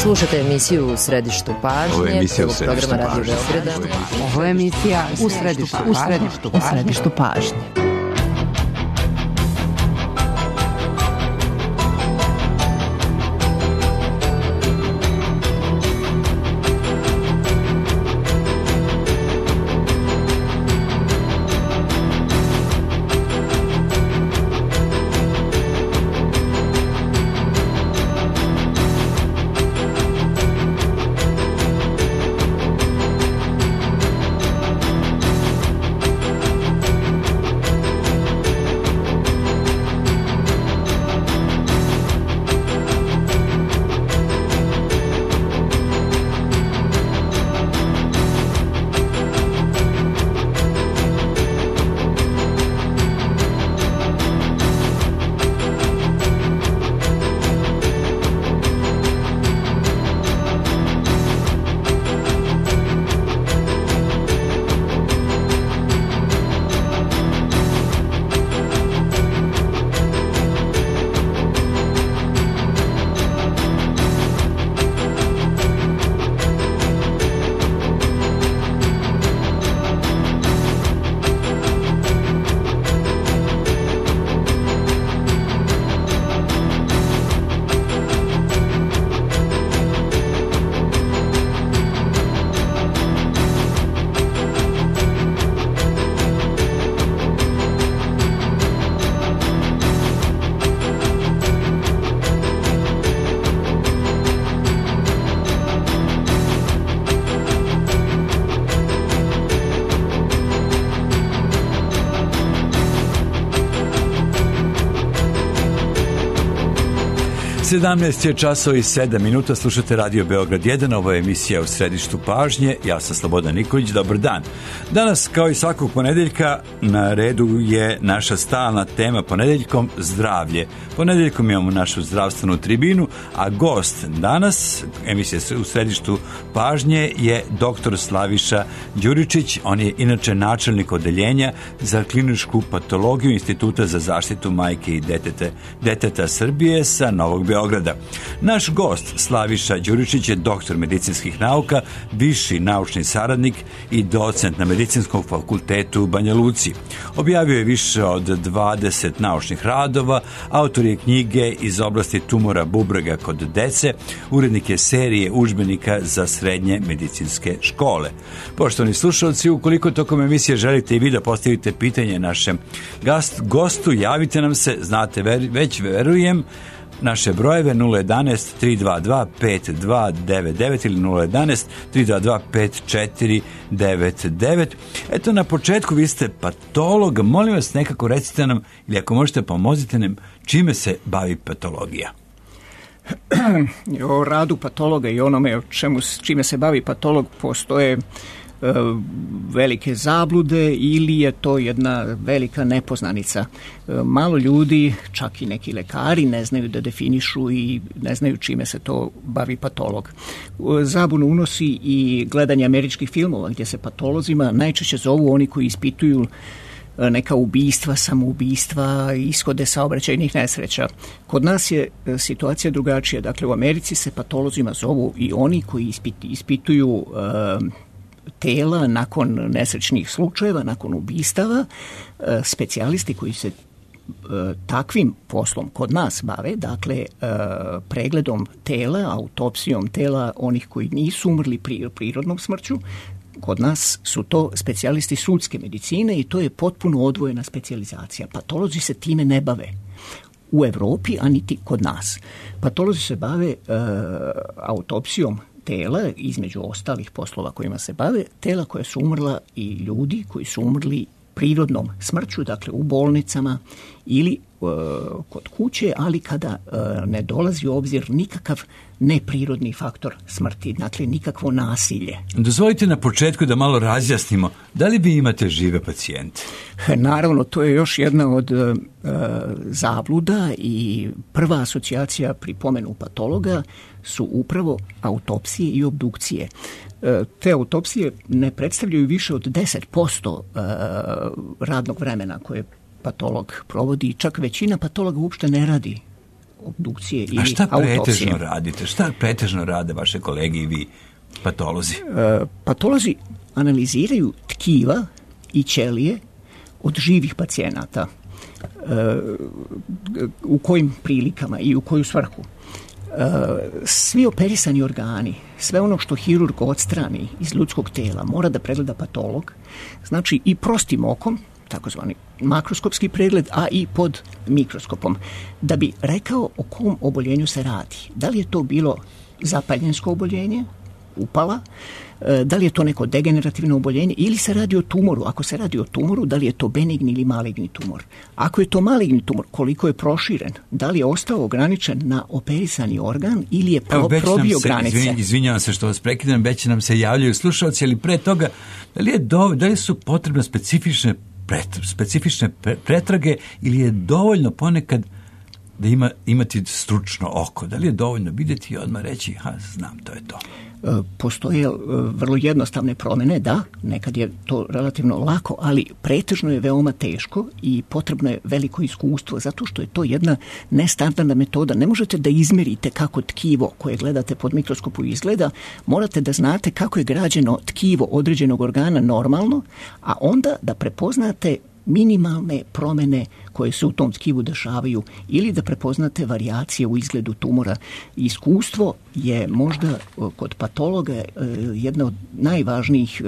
Slušate emisiju U središtu pažnje. Ovo je emisija U programa Radio Beograda. Ovo je emisija U središtu pažnje. Je časova i 7 minuta, slušate Radio Beograd 1, ovo je emisija U središtu pažnje, ja sam Slobodan Nikolić, dobar dan. Danas, kao i svakog ponedeljka, na redu je naša stalna tema ponedeljkom zdravlje. Ponedeljkom imamo našu zdravstvenu tribinu, a gost danas, emisija U središtu pažnje, je dr. Slaviša Đuričić. On je inače načelnik odeljenja za kliničku patologiju Instituta za zaštitu majke i deteta Srbije sa Novog Beograda. Naš gost Slaviša Đuričić je doktor medicinskih nauka, viši naučni saradnik i docent na Medicinskom fakultetu u Banja Luci. Objavio je više od 20 naučnih radova, autor je knjige iz oblasti tumora bubrega kod dece, urednik je serije udžbenika za srednje medicinske škole. Poštovani slušalci, ukoliko tokom emisije želite i vi da postavite pitanje našem gostu, javite nam se, znate već verujem, naše brojeve 011 322 5299 ili 011 322 5499. Eto, na početku vi ste patolog, molim vas nekako recite nam, ili ako možete pomozite nam, čime se bavi patologija? O radu patologa i onome čime se bavi patolog postoje velike zablude ili je to jedna velika nepoznanica. Malo ljudi, čak i neki lekari, ne znaju da definišu i ne znaju čime se to bavi patolog. Zabunu unosi i gledanje američkih filmova gdje se patolozima najčešće zovu oni koji ispituju neka ubistva, samoubistva, ishode saobraćajnih nesreća. Kod nas je situacija drugačija. Dakle, u Americi se patolozima zovu i oni koji ispituju tela nakon nesrećnih slučajeva, nakon ubistava. Specijalisti koji se takvim poslom kod nas bave, dakle pregledom tela, autopsijom tela onih koji nisu umrli prirodnom smrću, kod nas su to specijalisti sudske medicine i to je potpuno odvojena specijalizacija. Patolozi se time ne bave u Evropi, a niti kod nas. Patolozi se bave autopsijom tela, između ostalih poslova kojima se bave, tela koja su umrla i ljudi koji su umrli prirodnom smrću, dakle u bolnicama ili kod kuće, ali kada ne dolazi u obzir nikakav neprirodni faktor smrti, dakle nikakvo nasilje. Dozvolite na početku da malo razjasnimo, da li vi imate žive pacijente? Naravno, to je još jedna od zabluda i prva asocijacija pri pomenu patologa su upravo autopsije i obdukcije. Te autopsije ne predstavljaju više od 10% radnog vremena koje patolog provodi, čak većina patologa uopšte ne radi obdukcije ili autopsije. A šta pretežno radite? Šta pretežno rade vaše kolege i vi, patolozi? Patolozi analiziraju tkiva i ćelije od živih pacijenata. U kojim prilikama i u koju svrhu. Svi operisani organi, sve ono što hirurg odstrani iz ljudskog tela mora da pregleda patolog, znači i prostim okom, takozvani makroskopski pregled, a i pod mikroskopom, da bi rekao o kom oboljenju se radi. Da li je to bilo zapaljensko oboljenje, upala, da li je to neko degenerativno oboljenje ili se radi o tumoru. Ako se radi o tumoru, da li je to benigni ili maligni tumor. Ako je to maligni tumor, koliko je proširen, da li je ostao ograničen na operisani organ ili je probio granice. Izvinjavam se što vas prekidam, već nam se javljaju slušalci, ali pre toga, da li su potrebne specifične pretrage ili je dovoljno ponekad da imati stručno oko? Da li je dovoljno vidjeti i odmah reći, znam, to je to? Postoje vrlo jednostavne promjene, da, nekad je to relativno lako, ali pretežno je veoma teško i potrebno je veliko iskustvo, zato što je to jedna nestandardna metoda. Ne možete da izmerite kako tkivo koje gledate pod mikroskopom izgleda, morate da znate kako je građeno tkivo određenog organa normalno, a onda da prepoznate minimalne promjene koje se u tom tkivu dešavaju ili da prepoznate varijacije u izgledu tumora. Iskustvo je možda kod patologa jedna od najvažnijih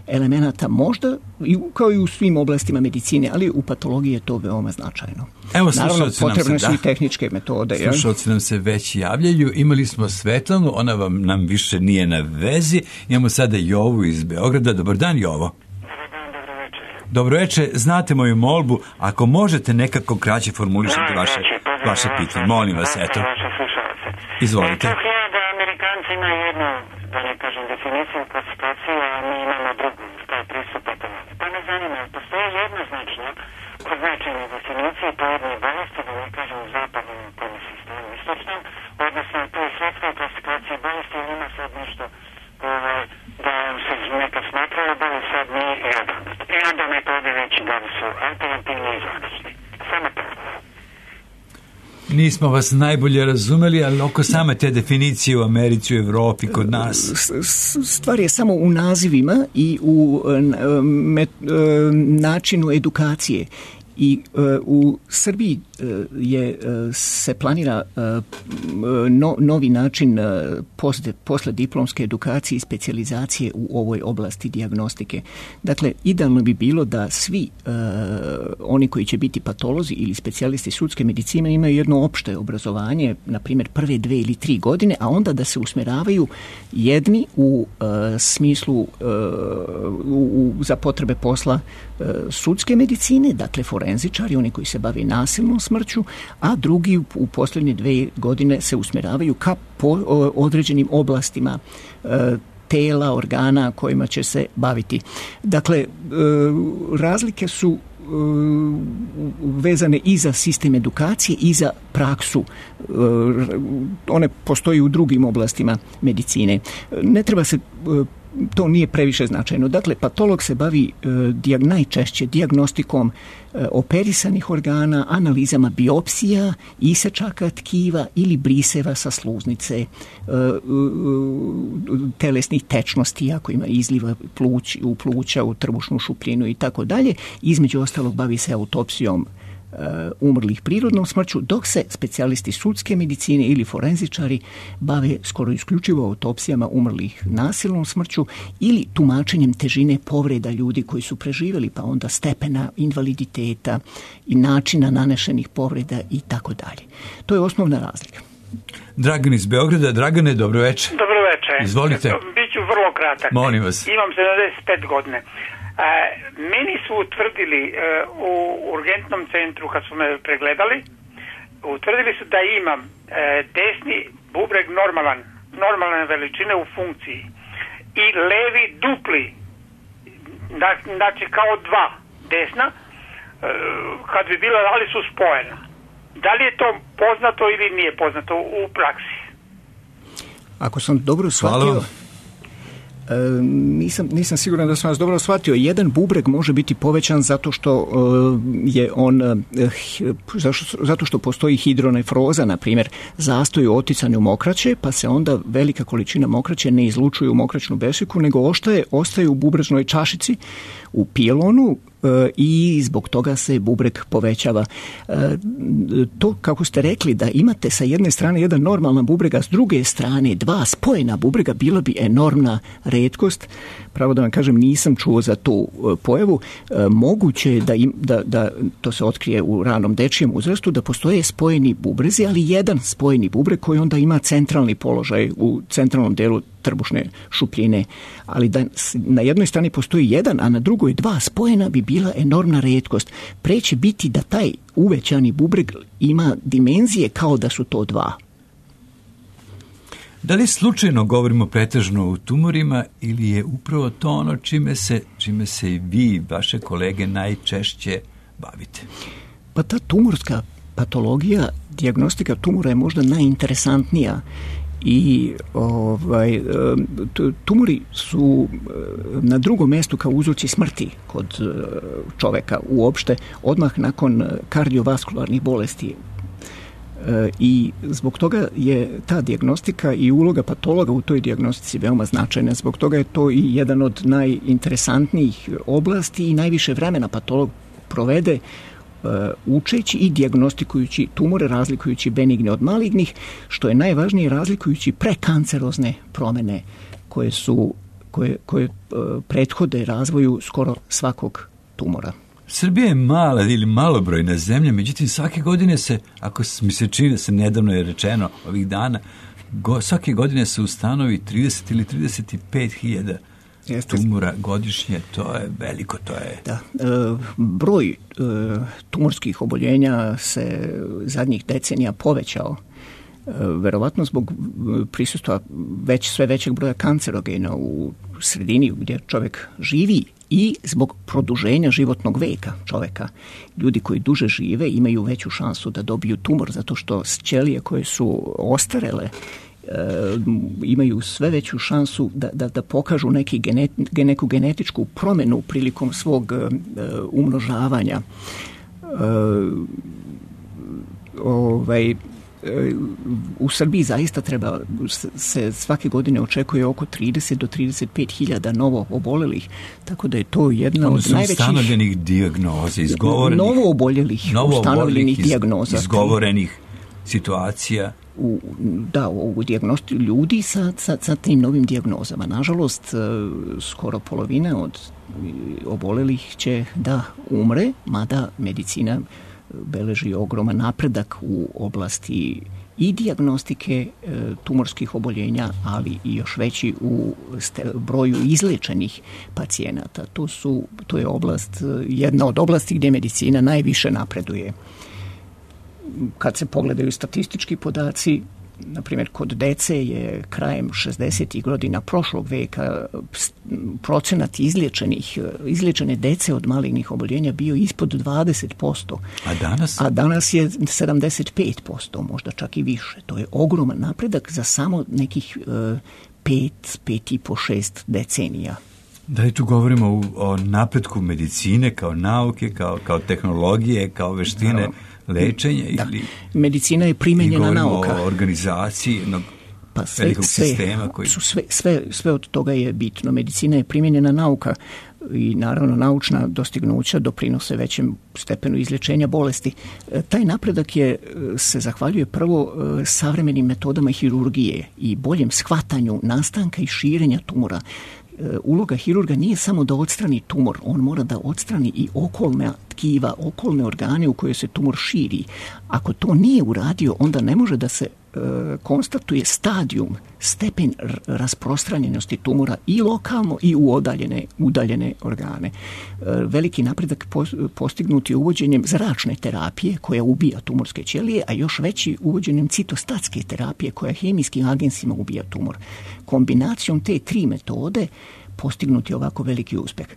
elemenata, možda kao i u svim oblastima medicine, ali u patologiji je to veoma značajno. Evo, naravno, potrebne su i tehničke metode. Slušalci nam se već javljaju. Imali smo Svetlanu, ona nam više nije na vezi. Imamo sada Jovu iz Beograda. Dobar dan, Jovo. Dobro večer, znate moju molbu, ako možete nekako kraće formulišiti vaše pitanje. Molim vas, eto. Izvolite. Da Amerikanci imaju jednu, da ne kažem, definiciju klasifikacije, a mi imamo drugu, to je pristup patologiji. Pa me zanima, postoje jednoznačno označene definicije pojedine bolesti, da ne kažem, u zapadnom sistemu istočnom, odnosno to je svetska klasifikacija bolesti, ali ima sad nešto da se neka smatrala da li sad nije i onda metode već da li su alternativni i zvanični. Samo to. Nismo vas najbolje razumeli, ali oko same te definicije u Americi, u Evropi, kod nas. Stvar je samo u nazivima i u načinu edukacije. I u Srbiji se planira novi način poslijediplomske edukacije i specijalizacije u ovoj oblasti dijagnostike. Dakle, idealno bi bilo da svi oni koji će biti patolozi ili specijalisti sudske medicine imaju jedno opšte obrazovanje, na primjer prve 2 ili 3 godine, a onda da se usmeravaju jedni u smislu za potrebe posla sudske medicine, dakle forenzičari, oni koji se bave nasilnom smrću, a drugi u posljednje 2 godine se usmjeravaju ka određenim oblastima tela, organa kojima će se baviti. Dakle, razlike su vezane i za sistem edukacije i za praksu. One postoji u drugim oblastima medicine. Ne treba se, to nije previše značajno. Dakle, patolog se bavi najčešće dijagnostikom operisanih organa, analizama biopsija, isečaka tkiva ili briseva sa sluznice, telesnih tečnosti, ako ima izliva u pluća, u trbušnu šupljinu i tako dalje. Između ostalog bavi se autopsijom umrlih prirodnom smrću, dok se specijalisti sudske medicine ili forenzičari bave skoro isključivo autopsijama umrlih nasilnom smrću ili tumačenjem težine povreda ljudi koji su preživjeli, pa onda stepena invaliditeta i načina nanešenih povreda i tako dalje. To je osnovna razlika. Dragan iz Beograda. Dragane, dobro večer. Dobro večer. Izvolite. Biću vrlo kratak. Molim vas. Imam 75 godine. Meni su utvrdili u urgentnom centru kad su me pregledali, utvrdili su da imam desni bubreg normalne veličine u funkciji i levi dupli, znači kao 2 desna, kad bi bila, ali su spojena. Da li je to poznato ili nije poznato u praksi? Ako sam dobro shvatio, Nisam siguran da sam vas dobro shvatio. Jedan bubreg može biti povećan zato što je on zato što postoji hidronefroza, na primjer, zastoj u oticanju mokraće, pa se onda velika količina mokraće ne izlučuje u mokraćnu besiku, nego ostaje u bubrežnoj čašici, u pilonu, i zbog toga se bubreg povećava. To, kako ste rekli, da imate sa jedne strane jedan normalan bubreg, a s druge strane dva spojena bubrega, bilo bi enormna retkost. Pravo da vam kažem, nisam čuo za tu pojavu. Moguće je da to se otkrije u ranom dečijem uzrastu, da postoje spojeni bubrezi, ali jedan spojeni bubreg koji onda ima centralni položaj u centralnom delu trbušne šupljine, ali da na jednoj strani postoji jedan, a na drugoj dva spojena, bi bila enormna retkost. Pre će biti da taj uvećani bubreg ima dimenzije kao da su to dva. Da li slučajno govorimo pretežno o tumorima ili je upravo to ono čime se i vi, vaše kolege, najčešće bavite? Pa ta tumorska patologija, dijagnostika tumora je možda najinteresantnija. I tumori su na drugom mjestu kao uzroci smrti kod čoveka uopšte, odmah nakon kardiovaskularnih bolesti. I zbog toga je ta dijagnostika i uloga patologa u toj dijagnostici veoma značajna. Zbog toga je to i jedan od najinteresantnijih oblasti i najviše vremena patolog provede učeći i dijagnostikujući tumore, razlikujući benigne od malignih, što je najvažnije, razlikujući prekancerozne promjene koje prethode razvoju skoro svakog tumora. Srbija je mala ili malobrojna zemlja, međutim svake godine se, ako mi se čini da se nedavno je rečeno ovih dana, svake godine se ustanovi 30 ili 35.000 tumora godišnje. To je veliko, to je... Da, broj tumorskih oboljenja se zadnjih decenija povećao, verovatno zbog prisustva sve većeg broja kancerogena u sredini gdje čovjek živi i zbog produženja životnog veka čovjeka. Ljudi koji duže žive imaju veću šansu da dobiju tumor, zato što ćelije koje su ostarele imaju sve veću šansu da pokažu neku genetičku promjenu prilikom svog umnožavanja. U Srbiji zaista se svake godine očekuje oko 30 do 35.000 novo obolelih, tako da je to jedna od najvećih ustanovljenih dijagnoza, novo oboljelih ustanovljenih dijagnoza, izgovorenih situacija. U dijagnosti ljudi sa tim novim dijagnozama. Nažalost, skoro polovina od obolelih će da umre, mada medicina beleži ogroman napredak u oblasti i dijagnostike tumorskih oboljenja, ali i još veći u broju izlečenih pacijenata. To je jedna od oblasti gdje medicina najviše napreduje. Kad se pogledaju statistički podaci, na primjer kod dece je krajem 60. godina prošlog veka procenat izliječene dece od malignih oboljenja bio ispod 20%. A danas je 75%, možda čak i više. To je ogroman napredak za samo nekih 5,5-6 decenija. Da li tu govorimo o napretku medicine kao nauke, kao tehnologije, kao veštine lečenja? Ili medicina je primenjena nauka. O organizaciji jednog velikog sistema koji... Sve od toga je bitno. Medicina je primenjena nauka i naravno naučna dostignuća doprinose većem stepenu izlječenja bolesti. Taj napredak se zahvaljuje prvo savremenim metodama hirurgije i boljem shvatanju nastanka i širenja tumora. Uloga hirurga nije samo da odstrani tumor, on mora da odstrani i okolna tkiva, okolne organe u koje se tumor širi. Ako to nije uradio, onda ne može da se konstatuje stepen rasprostranjenosti tumora i lokalno i u udaljene organe. Veliki napredak postignut je uvođenjem zračne terapije koja ubija tumorske ćelije, a još veći uvođenjem citostatske terapije koja hemijskim agensima ubija tumor. Kombinacijom te tri metode postignut je ovako veliki uspeh.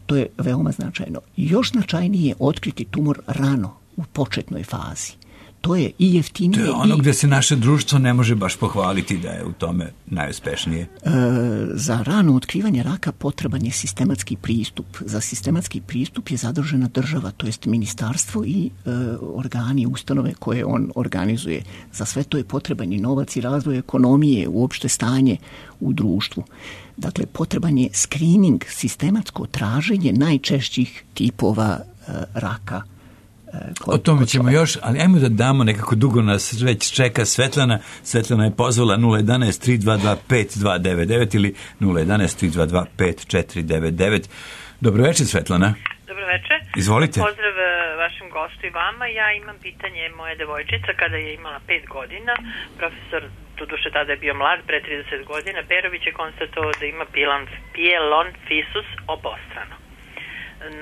To je veoma značajno. Još značajnije je otkriti tumor rano, u početnoj fazi. to je i jeftinije. To je ono gdje se naše društvo ne može baš pohvaliti da je u tome najuspešnije. Za rano otkrivanje raka potreban je sistematski pristup. Za sistematski pristup je zadužena država, to jest ministarstvo i organi, ustanove koje on organizuje. Za sve to je potreban i novac i razvoj ekonomije, uopšte stanje u društvu. Dakle, potreban je screening, sistematsko traženje najčešćih tipova raka. O tome ćemo još, ali ajmo da damo, nekako dugo nas već čeka Svetlana. Svetlana je pozvala 011-322-5299 ili 011-322-5499. Dobro večer, Svetlana. Dobro večer. Izvolite. Pozdrav vašem gostu i vama. Ja imam pitanje moje devojčica kada je imala 5 godina. Profesor, doduše tada je bio mlad, pre 30 godina, Perović je konstatovao da ima pielonfisus obostrano.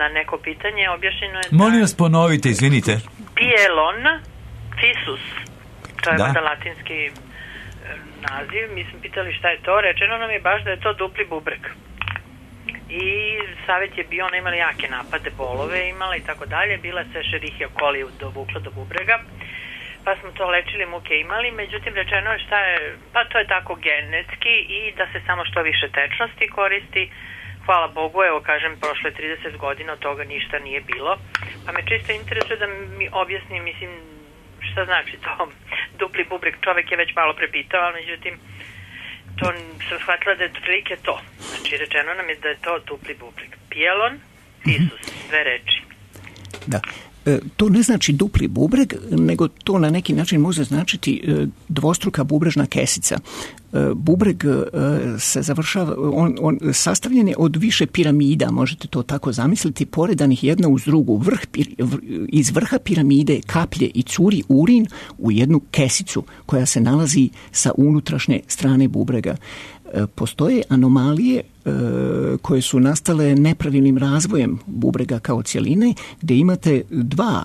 Na neko pitanje objašnjeno je da... Molim vas ponovite, izvinite. Pielonfisus. To je da latinski naziv. Mi smo pitali šta je to. Rečeno nam je baš da je to dupli bubreg. I savjet je bio, ona imala jake napade, bolove imala i tako dalje. Bila se Escherichia coli dovukla do bubrega. Pa smo to lečili, muke imali. Međutim, rečeno je šta je... Pa to je tako genetski i da se samo što više tečnosti koristi. Hvala Bogu, evo kažem, prošlo je 30 godina, od toga ništa nije bilo. Pa me čisto interesuje da mi objasni, mislim, šta znači to dupli bubreg. Čovek je već malo prepitao, ali međutim, to sam shvatila da je otprilike to. Znači, rečeno nam je da je to dupli bubreg. Pielonfisus, dve reči. Da. To ne znači dupli bubreg, nego to na neki način može značiti dvostruka bubrežna kesica. Bubreg se završava, on sastavljen je od više piramida, možete to tako zamisliti, poredanih jedna uz drugu. Iz vrha piramide kaplje i curi urin u jednu kesicu koja se nalazi sa unutrašnje strane bubrega. Postoje anomalije koje su nastale nepravilnim razvojem bubrega kao cjeline, gdje imate dva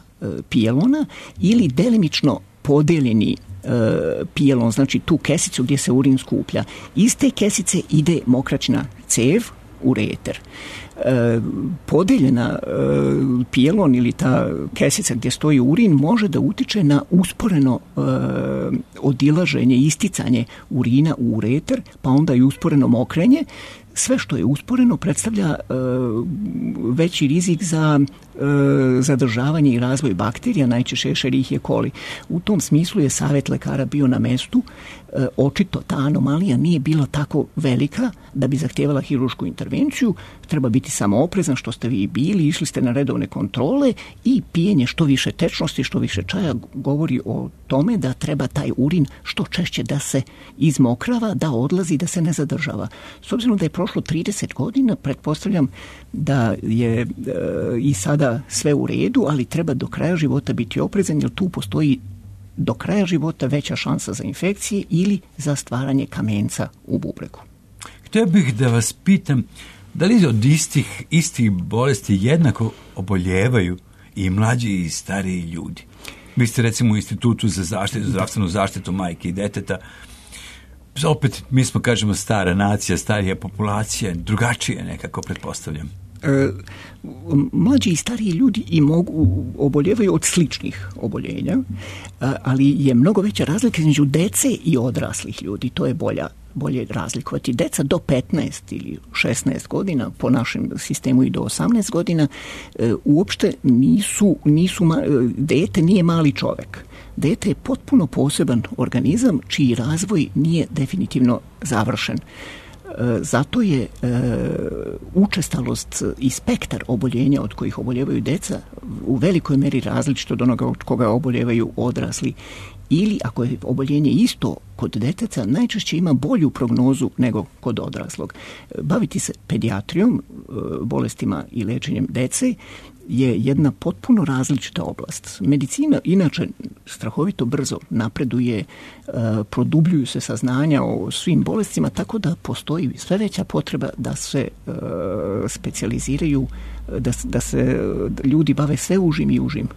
pijelona ili delimično podeljeni pijelon, znači tu kesicu gdje se urin skuplja. Iz te kesice ide mokraćna cev, ureter. Podeljena pijelon ili ta kesica gdje stoji urin može da utiče na usporeno odilaženje, isticanje urina u ureter, pa onda i usporeno mokrenje. Sve što je usporeno predstavlja veći rizik za zadržavanje i razvoj bakterija, najčešće Escherichia coli. U tom smislu je savjet lekara bio na mestu. Očito ta anomalija nije bila tako velika da bi zahtijevala hiruršku intervenciju. Treba biti samo oprezan, što ste vi bili, išli ste na redovne kontrole i pijenje što više tečnosti, što više čaja govori o tome da treba taj urin što češće da se izmokrava, da odlazi, da se ne zadržava. S obzirom da je prošlo 30 godina, pretpostavljam da je i sada sve u redu, ali treba do kraja života biti oprezan, jer tu postoji do kraja života veća šansa za infekcije ili za stvaranje kamenca u bubregu. Htio bih da vas pitam, da li od istih bolesti jednako oboljevaju i mlađi i stariji ljudi? Vi ste recimo u Institutu za zdravstvenu zaštitu majke i deteta. Opet, mi smo, kažemo, stara nacija, starija populacija, drugačije nekako, pretpostavljam. Mlađi i stariji ljudi i oboljevaju od sličnih oboljenja, ali je mnogo veća razlika između dece i odraslih ljudi. To je bolje razlikovati. Deca do 15 ili 16 godina, po našem sistemu i do 18 godina, uopšte dete nije mali čovjek. Dete je potpuno poseban organizam čiji razvoj nije definitivno završen. Zato je učestalost i spektar oboljenja od kojih oboljevaju deca u velikoj meri različito od onoga od koga oboljevaju odrasli. Ili ako je oboljenje isto kod deteca, najčešće ima bolju prognozu nego kod odraslog. Baviti se pedijatrijom, bolestima i liječenjem dece je jedna potpuno različita oblast. Medicina inače strahovito brzo napreduje, produbljuju se saznanja o svim bolestima, tako da postoji sve veća potreba da se specijaliziraju, da se ljudi bave sve užim i užim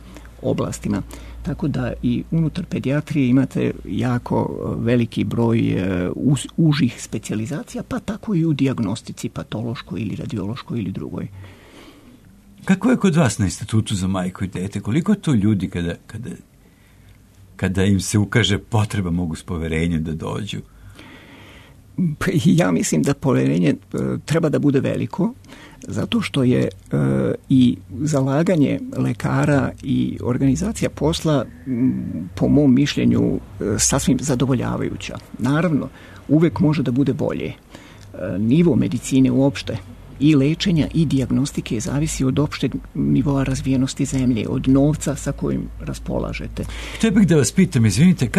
oblastima. Tako da i unutar pedijatrije imate jako veliki broj užih specijalizacija, pa tako i u dijagnostici patološkoj ili radiološkoj ili drugoj. Kako je kod vas na Institutu za majku i dete? Koliko to ljudi kada kada im se ukaže potreba, mogu s poverenjem da dođu? Ja mislim da poverenje treba da bude veliko, zato što je i zalaganje lekara i organizacija posla, po mom mišljenju, sasvim zadovoljavajuća. Naravno, uvek može da bude bolje. Nivo medicine uopšte i lečenja i dijagnostike zavisi od opšteg nivoa razvijenosti zemlje, od novca sa kojim raspolažete. Htio bih da vas pitam, izvinite,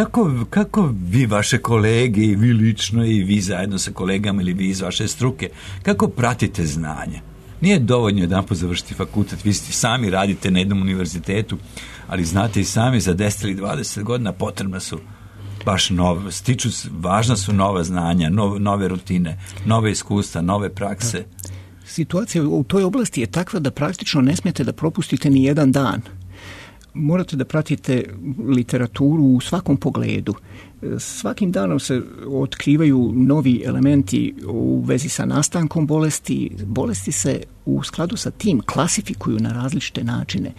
kako vi, vaše kolege, i vi lično, i vi zajedno sa kolegama, ili vi iz vaše struke, kako pratite znanje? Nije dovoljno jedanput završiti fakultet, vi sami radite na jednom univerzitetu, ali znate i sami, za 10 ili 20 godina potrebna su baš važna su nova znanja, nove rutine, nove iskustva, nove prakse. Situacija u toj oblasti je takva da praktično ne smijete da propustite ni jedan dan. Morate da pratite literaturu u svakom pogledu. Svakim danom se otkrivaju novi elementi u vezi sa nastankom bolesti. Bolesti se u skladu sa tim klasifikuju na različite načine.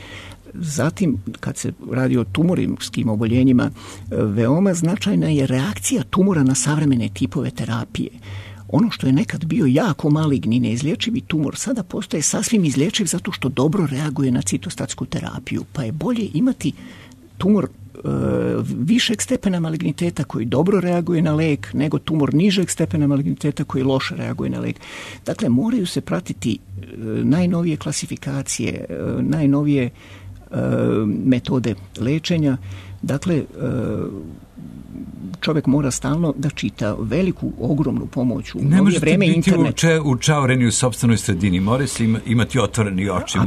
Zatim, kad se radi o tumorskim oboljenjima, veoma značajna je reakcija tumora na savremene tipove terapije. Ono što je nekad bio jako maligni, neizlječivi tumor, sada postaje sasvim izlječiv zato što dobro reaguje na citostatsku terapiju. Pa je bolje imati tumor višeg stepena maligniteta koji dobro reaguje na lek, nego tumor nižeg stepena maligniteta koji loše reaguje na lek. Dakle, moraju se pratiti najnovije klasifikacije, najnovije metode lečenja. Dakle, čovjek mora stalno da čita veliku, ogromnu pomoć. Ne možete biti učaureni u sopstvenoj sredini, mora se imati otvoreni oči.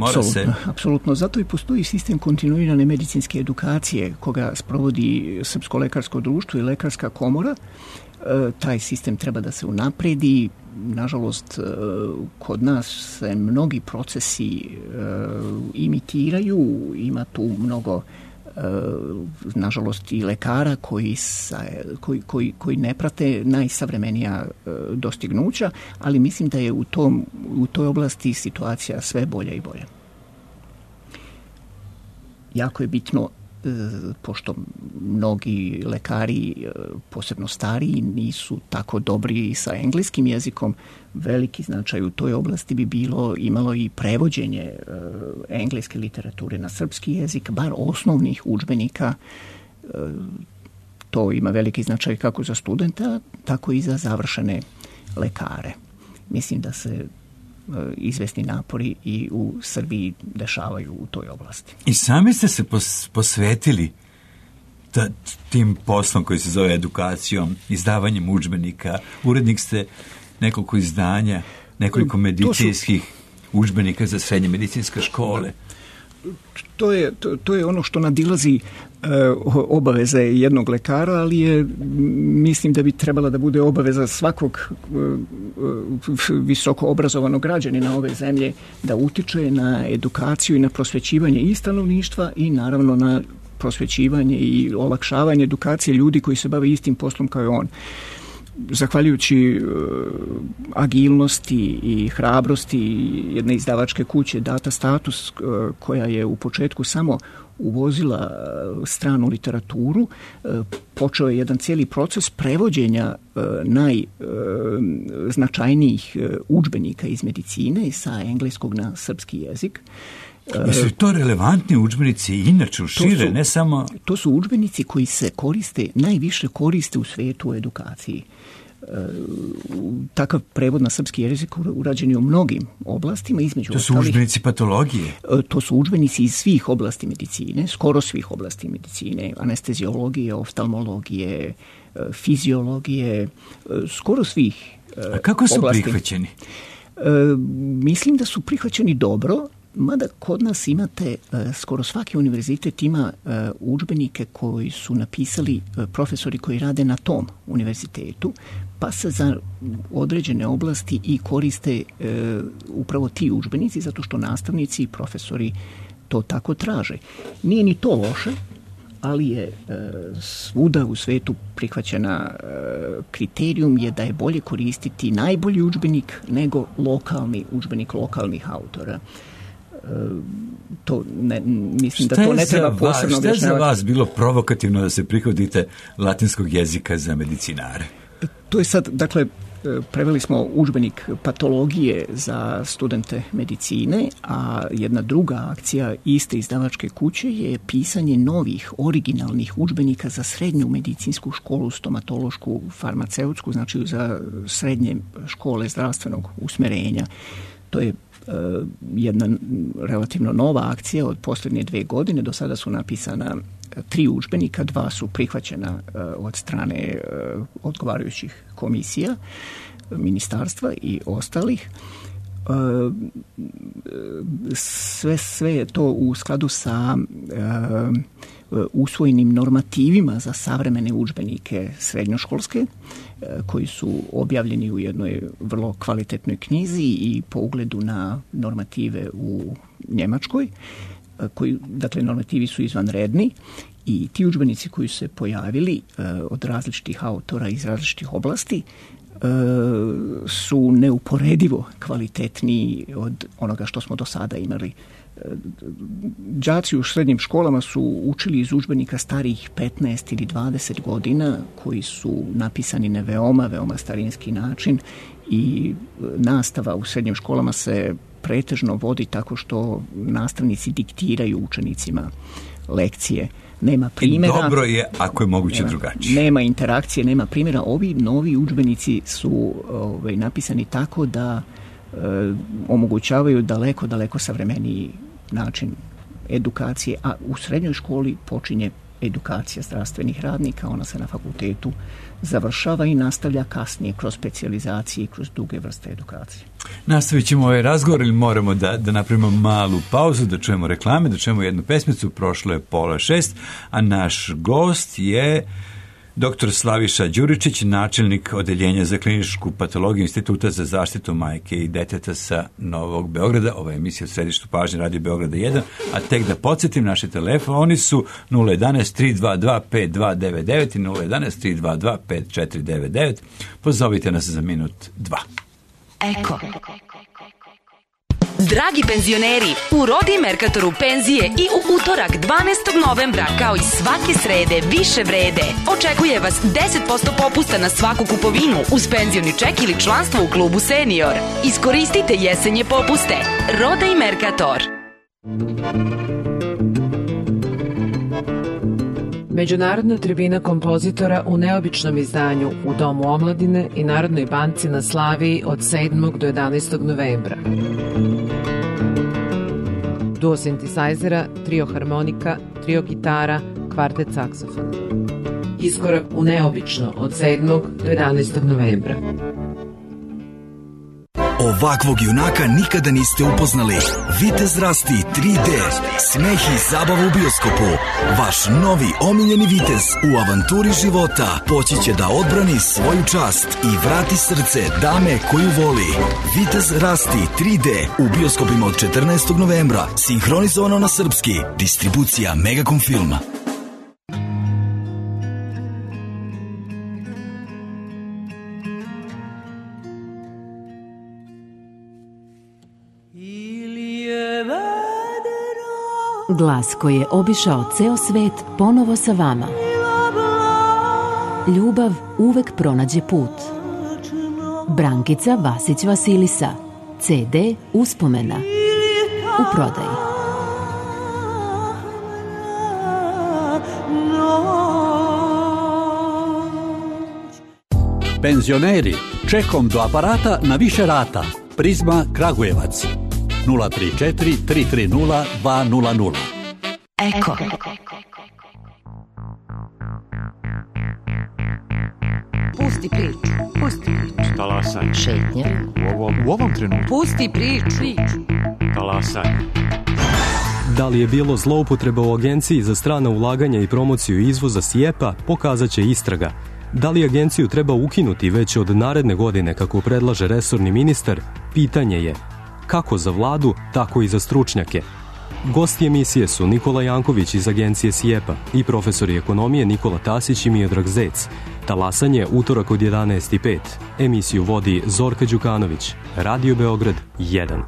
Apsolutno. Zato i postoji sistem kontinuirane medicinske edukacije koga sprovodi Srpsko lekarsko društvo i Lekarska komora. Taj sistem treba da se unapredi. Nažalost, kod nas se mnogi procesi imitiraju, ima tu mnogo nažalost i lekara koji ne prate najsavremenija dostignuća, ali mislim da je u toj oblasti situacija sve bolja i bolja. Jako je bitno, pošto mnogi lekari, posebno stariji, nisu tako dobri sa engleskim jezikom, veliki značaj u toj oblasti bi imalo i prevođenje engleske literature na srpski jezik, bar osnovnih udžbenika. To ima veliki značaj kako za studenta, tako i za završene lekare. Mislim da se izvesni napori i u Srbiji dešavaju u toj oblasti. I sami ste se posvetili tim poslom koji se zove edukacijom, izdavanjem udžbenika. Urednik ste nekoliko izdanja, nekoliko medicinskih udžbenika za srednje medicinske škole. To je ono što nadilazi obaveze jednog lekara, ali mislim da bi trebala da bude obaveza svakog visoko obrazovanog građanina ove zemlje da utiče na edukaciju i na prosvećivanje i stanovništva i naravno na prosvećivanje i olakšavanje edukacije ljudi koji se bave istim poslom kao i on. Zahvaljujući agilnosti i hrabrosti jedne izdavačke kuće Data Status, koja je u početku samo uvozila stranu literaturu, počeo je jedan cijeli proces prevođenja najznačajnijih udžbenika iz medicine sa engleskog na srpski jezik. Jesu to relevantni udžbenici inače šire, ne samo... To su udžbenici koji se najviše koriste u svijetu u edukaciji. Takav prevod na srpski jezik urađen je u mnogim oblastima, između ostalih. To su udžbenici patologije? To su udžbenici iz svih oblasti medicine, skoro svih oblasti medicine, anesteziologije, oftalmologije, fiziologije, skoro svih oblasti. A kako su prihvaćeni? Mislim da su prihvaćeni dobro, mada kod nas imate, skoro svaki univerzitet ima udžbenike koji su napisali profesori koji rade na tom univerzitetu, pa se za određene oblasti i koriste upravo ti udžbenici, zato što nastavnici i profesori to tako traže. Nije ni to loše, ali je svuda u svetu prihvaćena kriterijum je da je bolje koristiti najbolji udžbenik nego lokalni udžbenik lokalnih autora. To mislim da to ne treba posebno objašnjavati. Šta je za vas bilo provokativno da se prihodite latinskog jezika za medicinare? To je sad, dakle, preveli smo udžbenik patologije za studente medicine, a jedna druga akcija iste izdavačke kuće je pisanje novih, originalnih udžbenika za srednju medicinsku školu, stomatološku, farmaceutsku, znači za srednje škole zdravstvenog usmerenja. To je jedna relativno nova akcija od posljednje 2 godine. Do sada su napisana 3 udžbenika, 2 su prihvaćena od strane odgovarajućih komisija, ministarstva i ostalih. Sve je to u skladu sa usvojenim normativima za savremene udžbenike srednjoškolske, koji su objavljeni u jednoj vrlo kvalitetnoj knjizi i po ugledu na normative u Njemačkoj, dakle normativi su izvanredni i ti udžbenici koji su se pojavili od različitih autora iz različitih oblasti su neuporedivo kvalitetniji od onoga što smo do sada imali. Đaci u srednjim školama su učili iz udžbenika starijih 15 ili 20 godina koji su napisani na veoma starinski način i nastava u srednjim školama se pretežno vodi tako što nastavnici diktiraju učenicima lekcije. Nema primjera. I dobro je ako je moguće drugačije. Nema interakcije, nema primjera. Ovi novi udžbenici su napisani tako da omogućavaju daleko savremeniji način edukacije, a u srednjoj školi počinje edukacija zdravstvenih radnika, ona se na fakultetu završava i nastavlja kasnije kroz specijalizacije i kroz druge vrste edukacije. Nastavit ćemo ovaj razgovor ili moramo da napravimo malu pauzu, da čujemo reklame, da čujemo jednu pesmicu, prošlo je 5:30, a naš gost je dr. Slaviša Đuričić, načelnik odeljenja za kliničku patologiju Instituta za zaštitu majke i deteta sa Novog Beograda. Ova je emisija u središtu pažnje Radio Beograda 1, a tek da podsjetim, naši telefoni su 011-322-5299 i 011-322-5499. Pozovite nas za minut 2. Eko. Dragi penzioneri, u Rodi Merkatoru penzije i u utorak 12. novembra, kao i svake srede, više vrede. Očekuje vas 10% popusta na svaku kupovinu uz penzioni ček ili članstvo u klubu Senior. Iskoristite jesenje popuste. Roda i Merkator. Međunarodna tribina kompozitora u neobičnom izdanju u Domu omladine i Narodnoj banci na Slaviji od 7. do 11. novembra. Duo sintesajzera, trio harmonika, trio gitara, kvartet saksofona. Iskorak u neobično od 7. do 11. novembra. Ovakvog junaka nikada niste upoznali. Vitez Rasti 3D. Smeh i zabava u bioskopu. Vaš novi omiljeni vitez u avanturi života poći će da odbrani svoju čast i vrati srce dame koju voli. Vitez Rasti 3D u bioskopima od 14. novembra. Sinhronizovano na srpski. Distribucija Megacom Filma. Glas koji je obišao ceo svet ponovo sa vama. Ljubav uvek pronađe put. Brankica Vasić Vasilisa. CD Uspomena. U prodaji. Penzioneri, čekom do aparata na više rata. Prizma Kragujevac. 034 330 200. Eko. Pusti priču. Talasaj. Šetnja. U ovom trenutku. Pusti priču. Talasaj. Da li je bilo zloupotreba u Agenciji za strana ulaganja i promociju izvoza SIEPA, pokazat će istraga. Da li agenciju treba ukinuti već od naredne godine, kako predlaže resorni ministar, pitanje je kako za vladu, tako i za stručnjake. Gosti emisije su Nikola Janković iz agencije SIEPA i profesori ekonomije Nikola Tasić i Miodrag Zec. Talasanje utorak od 11:05. Emisiju vodi Zorka Đukanović. Radio Beograd 1.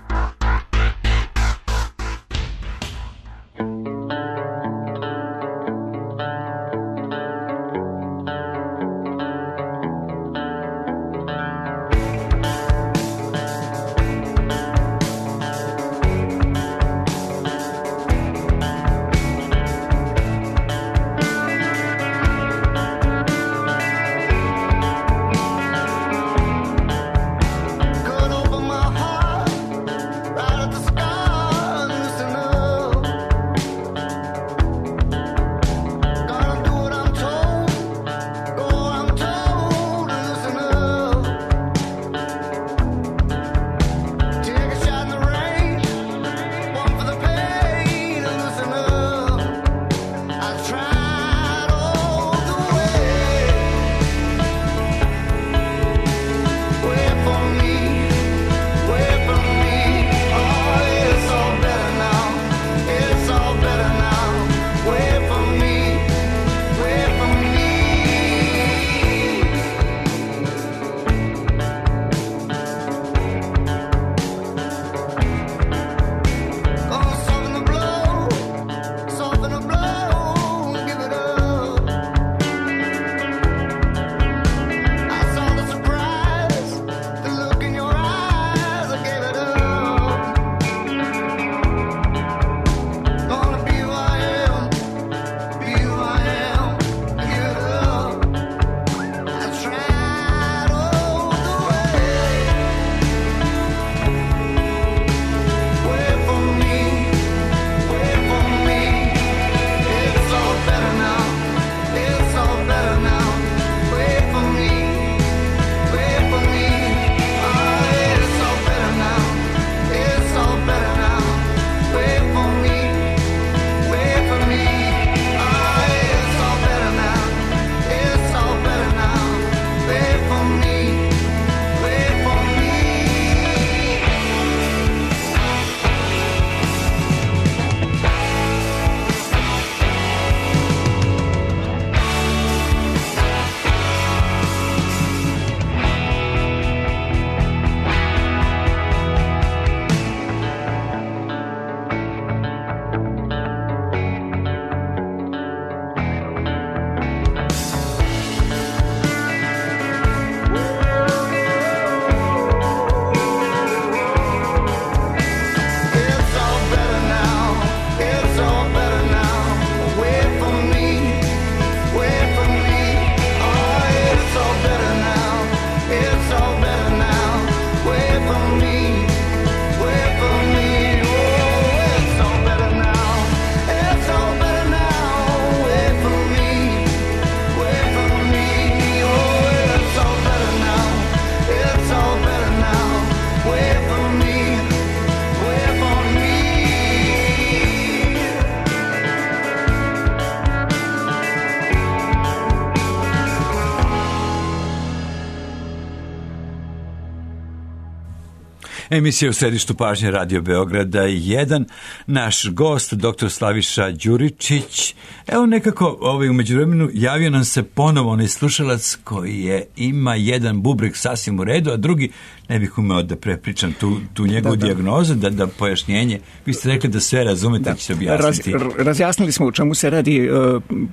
Emisija u središtu pažnje Radio Beograda 1. Naš gost, dr. Slaviša Đuričić. Evo nekako u međuvremenu javio nam se ponovo onaj slušalac koji ima jedan bubreg sasvim u redu, a drugi, ne bih umeo da prepričam tu njegovu dijagnozu, da pojašnjenje. Vi ste rekli da sve razumete, će se objasniti. Razjasnili smo u čemu se radi.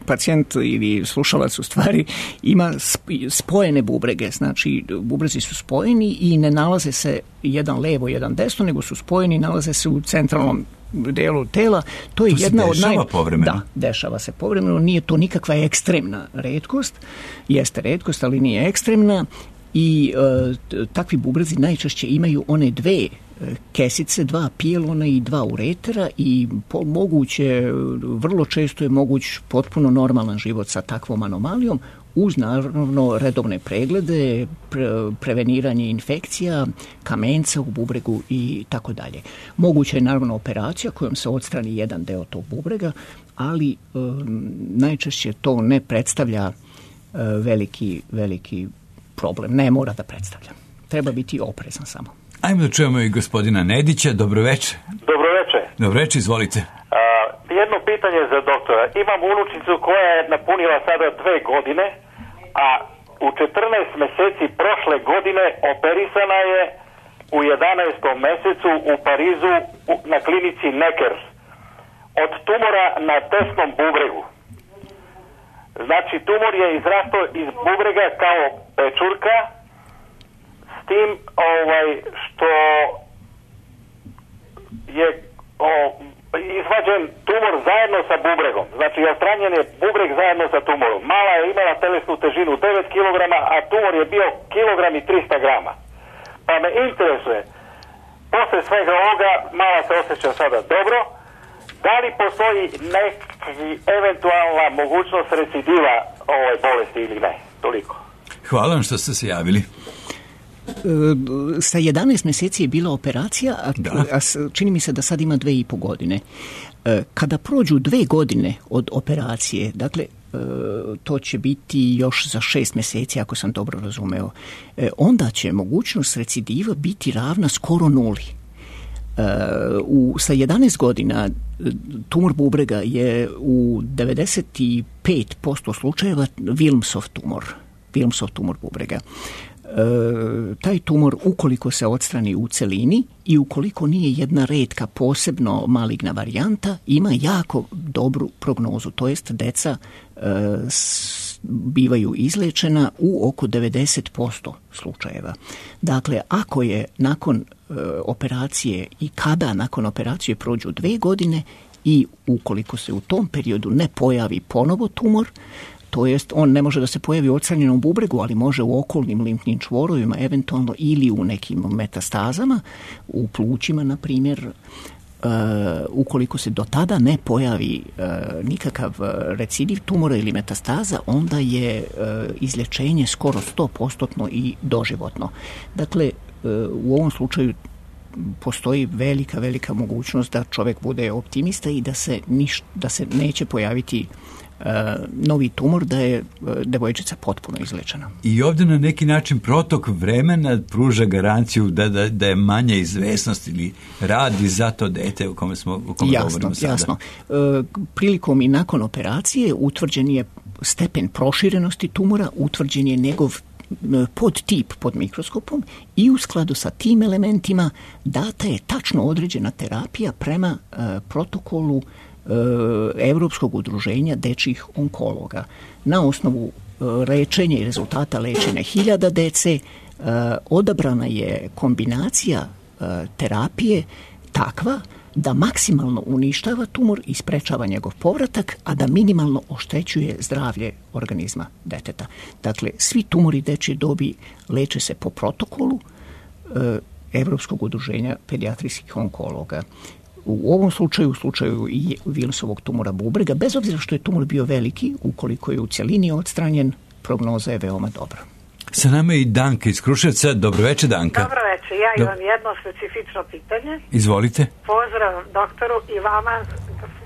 Pacijent ili slušalac u stvari ima spojene bubrege, znači bubrezi su spojeni i ne nalaze se jedan levo, jedan desno, nego su spojeni i nalaze se u centralnom delu tela. To je jedna od povremeno? Da, dešava se povremeno. Nije to nikakva ekstremna retkost. Jeste retkost, ali nije ekstremna. I takvi bubrezi najčešće imaju one dve kesice, dva pijelona i dva uretera i vrlo često je moguć potpuno normalan život sa takvom anomalijom, uz naravno redovne preglede, preveniranje infekcija, kamenca u bubregu i tako dalje. Moguća je naravno operacija kojom se odstrani jedan deo tog bubrega, ali najčešće to ne predstavlja veliki problem. Ne mora da predstavlja. Treba biti oprezan samo. Ajmo da čujemo i gospodina Nedića. Dobroveče. Dobroveče. Dobroveče, izvolite. Jedno pitanje za doktora. Imam unučicu koja je napunila sada 2 godine, a u 14 meseci prošle godine operisana je u 11. mesecu u Parizu na klinici Necker od tumora na desnom bubregu. Znači, tumor je izrastao iz bubrega kao pečurka, s tim što je izvađen tumor zajedno sa bubregom. Znači, odstranjen je bubreg zajedno sa tumorom. Mala je imala telesnu težinu 9 kg, a tumor je bio kilogram i 300 grama. Pa me interesuje, posle svega ovoga, mala se osjeća sada dobro, da li postoji eventualna mogućnost recidiva ovoj bolesti ili ne? Toliko. Hvala vam što ste se javili. Sa 11 meseci je bila operacija, a čini mi se da sad ima 2,5 godine. Kada prođu 2 godine od operacije, dakle, to će biti još za 6 meseci, ako sam dobro razumeo, onda će mogućnost recidiva biti ravna skoro nuli. Sa 11 godina tumor bubrega je u 95% slučajeva Wilmsov tumor bubrega. Taj tumor, ukoliko se odstrani u celini i ukoliko nije jedna retka posebno maligna varijanta, ima jako dobru prognozu, to jest deca bivaju izlečena u oko 90% slučajeva. Dakle, ako je nakon operacije i kada nakon operacije prođu 2 godine i ukoliko se u tom periodu ne pojavi ponovo tumor, to jest on ne može da se pojavi u odstranjenom bubregu, ali može u okolnim limfnim čvorovima eventualno ili u nekim metastazama, u plućima na primjer. Ukoliko se do tada ne pojavi nikakav recidiv tumora ili metastaza, onda je izlječenje skoro 100% i doživotno. Dakle, u ovom slučaju postoji velika mogućnost da čovjek bude optimista i da se neće pojaviti novi tumor, da je devojčica potpuno izlečena. I ovdje na neki način protok vremena pruža garanciju da je manja izvesnost ili radi za to dete o kome govorimo sada. Jasno. Prilikom i nakon operacije utvrđen je stepen proširenosti tumora, utvrđen je njegov podtip pod mikroskopom i u skladu sa tim elementima data je tačno određena terapija prema protokolu Evropskog udruženja dečjih onkologa. Na osnovu lečenja i rezultata lečenja 1000 dece odabrana je kombinacija terapije takva da maksimalno uništava tumor i sprečava njegov povratak, a da minimalno oštećuje zdravlje organizma deteta. Dakle, svi tumori dečje dobi leče se po protokolu Evropskog udruženja pedijatrijskih onkologa. U ovom slučaju, u slučaju i Wilmsovog tumora bubrega, bez obzira što je tumor bio veliki, ukoliko je u cjelini odstranjen, prognoza je veoma dobra. Sa nama je i Danka iz Kruševca. Dobroveče, Danka. Dobroveče, ja imam jedno specifično pitanje. Izvolite. Pozdrav doktoru i vama,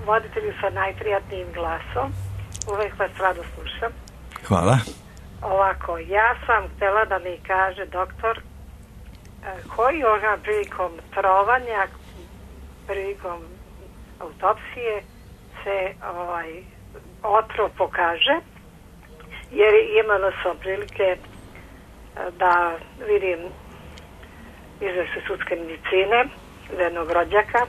voditelju sa najprijatnijim glasom. Uvek vas rado slušam. Hvala. Ovako, ja sam htjela da mi kaže doktor koji organ prilikom trovanja, prilikom autopsije se otrov pokaže, jer imala sam prilike da vidim izveštaj sudske medicine jednog rođaka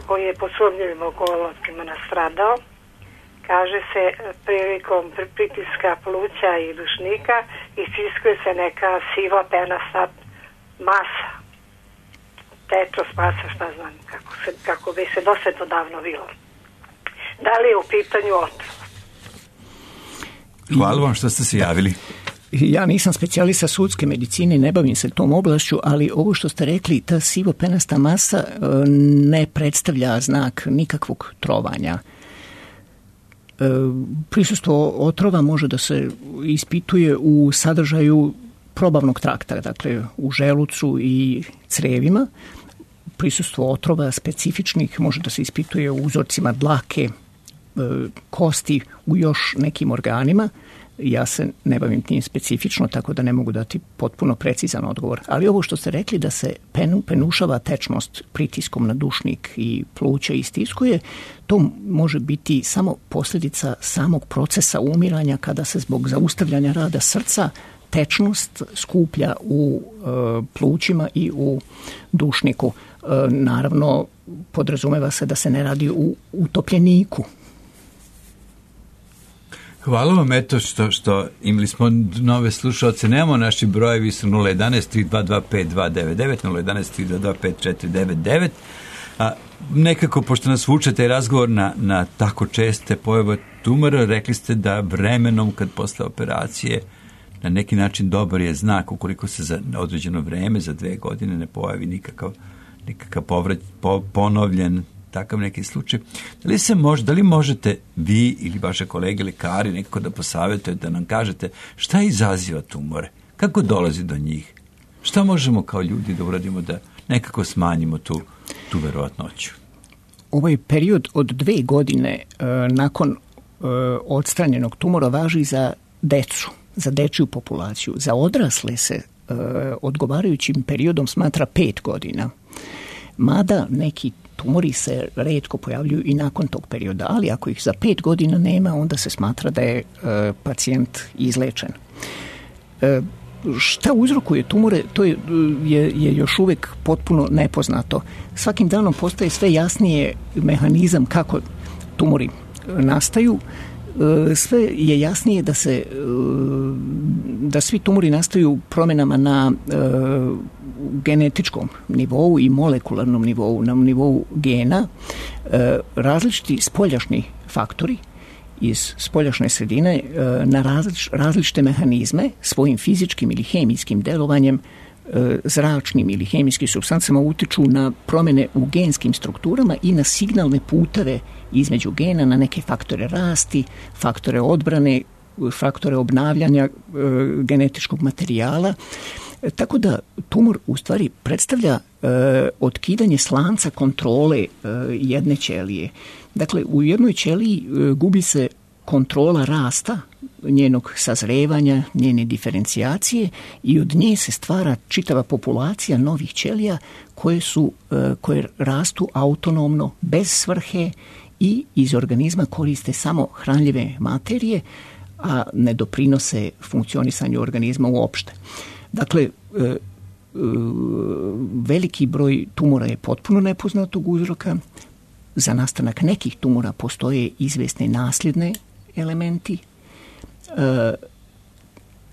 koji je po sumnjivim okolnostima nastradao. Kaže se prilikom pritiska pluća i dušnika istiskuje se neka siva penasta masa, tetros masa, šta znam, kako bi se dosta davno bilo. Da li je u pitanju otrov? Hvala vam što ste se javili. Ja nisam specijalista sudske medicine, ne bavim se tom oblašću, ali ovo što ste rekli, ta sivo-penasta masa ne predstavlja znak nikakvog trovanja. Prisustvo otrova može da se ispituje u sadržaju probavnog trakta, dakle u želucu i crevima. Prisustvo otrova specifičnih može da se ispituje u uzorcima dlake, kosti, u još nekim organima. Ja se ne bavim tim specifično, tako da ne mogu dati potpuno precizan odgovor. Ali ovo što ste rekli da se penušava tečnost pritiskom na dušnik i pluća istiskuje, to može biti samo posljedica samog procesa umiranja kada se zbog zaustavljanja rada srca tečnost skuplja u plućima i u dušniku. Naravno, podrazumeva se da se ne radi u utopljeniku. Hvala vam, eto što imali smo nove slušalce. Nemamo, naši brojevi su 011-322-5299, 011-322-5499. Nekako, pošto nas vuče taj razgovor na tako česte pojave tumora, rekli ste da vremenom, kad posle operacije, na neki način dobar je znak ukoliko se za određeno vreme, za 2 godine, ne pojavi nikakav ponovljen takav neki slučaj. Da li možete vi ili vaše kolege lekari nekako da posavjetujete, da nam kažete šta izaziva tumore, kako dolazi do njih, šta možemo kao ljudi da uradimo da nekako smanjimo tu verovatnoću? Ovaj period od 2 godine nakon odstranjenog tumora važi za decu, za dečju populaciju. Za odrasle se odgovarajućim periodom smatra 5 godina. Mada neki tumori se retko pojavljuju i nakon tog perioda, ali ako ih za 5 godina nema, onda se smatra da je pacijent izlečen. Šta uzrokuje tumore, to je još uvijek potpuno nepoznato. Svakim danom postaje sve jasnije mehanizam kako tumori nastaju. Sve je jasnije da svi tumori nastaju promjenama na genetičkom nivou i molekularnom nivou, na nivou gena. Različiti spoljašnji faktori iz spoljašnje sredine na različite mehanizme svojim fizičkim ili hemijskim delovanjem, zračnim ili hemijskim supstancama utiču na promjene u genskim strukturama i na signalne puteve između gena, na neke faktore rasti, faktore odbrane, faktore obnavljanja genetičkog materijala. Tako da tumor u stvari predstavlja otkidanje slanca kontrole jedne ćelije. Dakle, u jednoj ćeliji gubi se kontrola rasta, njenog sazrevanja, njene diferencijacije i od nje se stvara čitava populacija novih ćelija koje rastu autonomno, bez svrhe i iz organizma koriste samo hranljive materije, a ne doprinose funkcionisanju organizma uopšte. Dakle, veliki broj tumora je potpuno nepoznatog uzroka. Za nastanak nekih tumora postoje izvesne nasljedne elementi